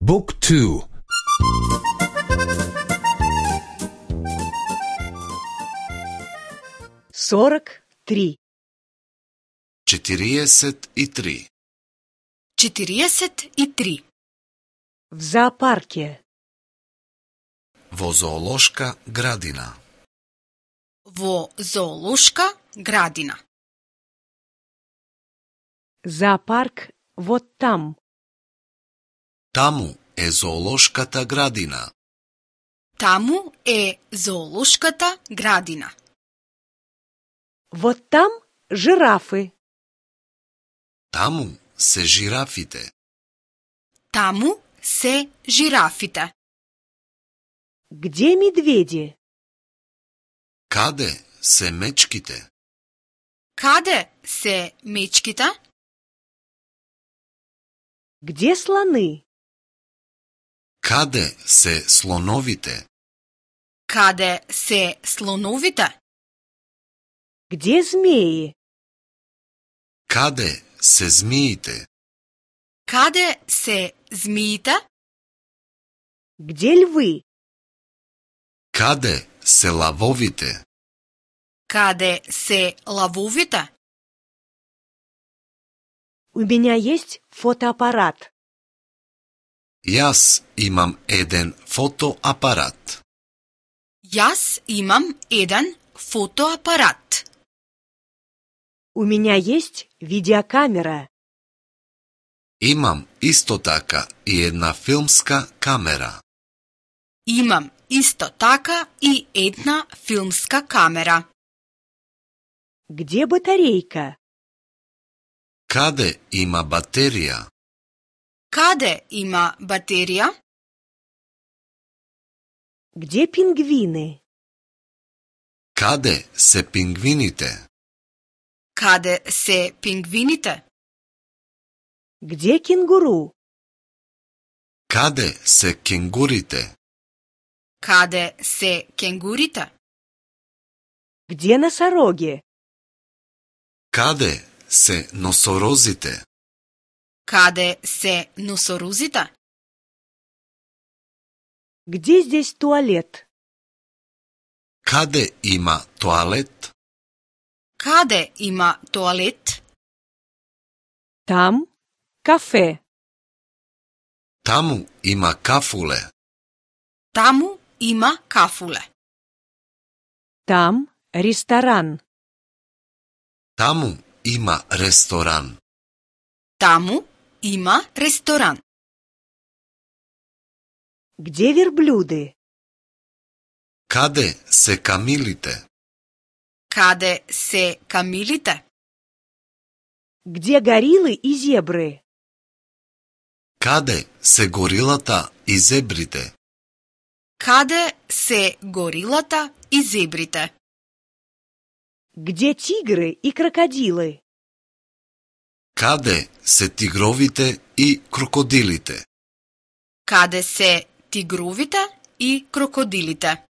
Book 2. 43. 43. 43. В зоопарке. Во зоолошка градина. Во зоолошка градина. Зоопарк вот там. Таму е зоолошката градина. Таму е зоолошката градина. Вот там жирафы. Таму се жирафите. Таму се жирафите. Где медведи? Каде се мечките? Каде се мечките? Где слоны? Каде се слоновите? Каде се слоновите? Где змеи? Каде се змиите? Каде се змиите? Где львы? Каде се лавовите? Каде се лавовите? У меня есть фотоаппарат. Јас имам еден фотоапарат. Јас имам еден фотоапарат. У меня есть видеокамера. Имам исто така и една филмска камера. Имам исто така и една филмска камера. Где батарейка? Каде има батерија? Каде има батерија? Где пингвины? Каде се пингвините? Каде се пингвините? Где кенгуру? Каде се кенгурите? Каде се кенгурите? Где носороги? Каде се носорозите? Каде се носорозите? Где здесь туалет? Каде има тоалет? Каде има тоалет? Там кафе. Таму има кафуле. Таму има кафуле. Там ресторан. Таму има ресторан. Таму има ресторан. Где верблюды? Каде се камилите? Каде се камилите? Где гориллы и зебры? Каде се горилата и зебрите? Каде се горилата и зебрите? Где тигры и крокодилы? Каде се тигровите и крокодилите? Каде се тигровите и крокодилите?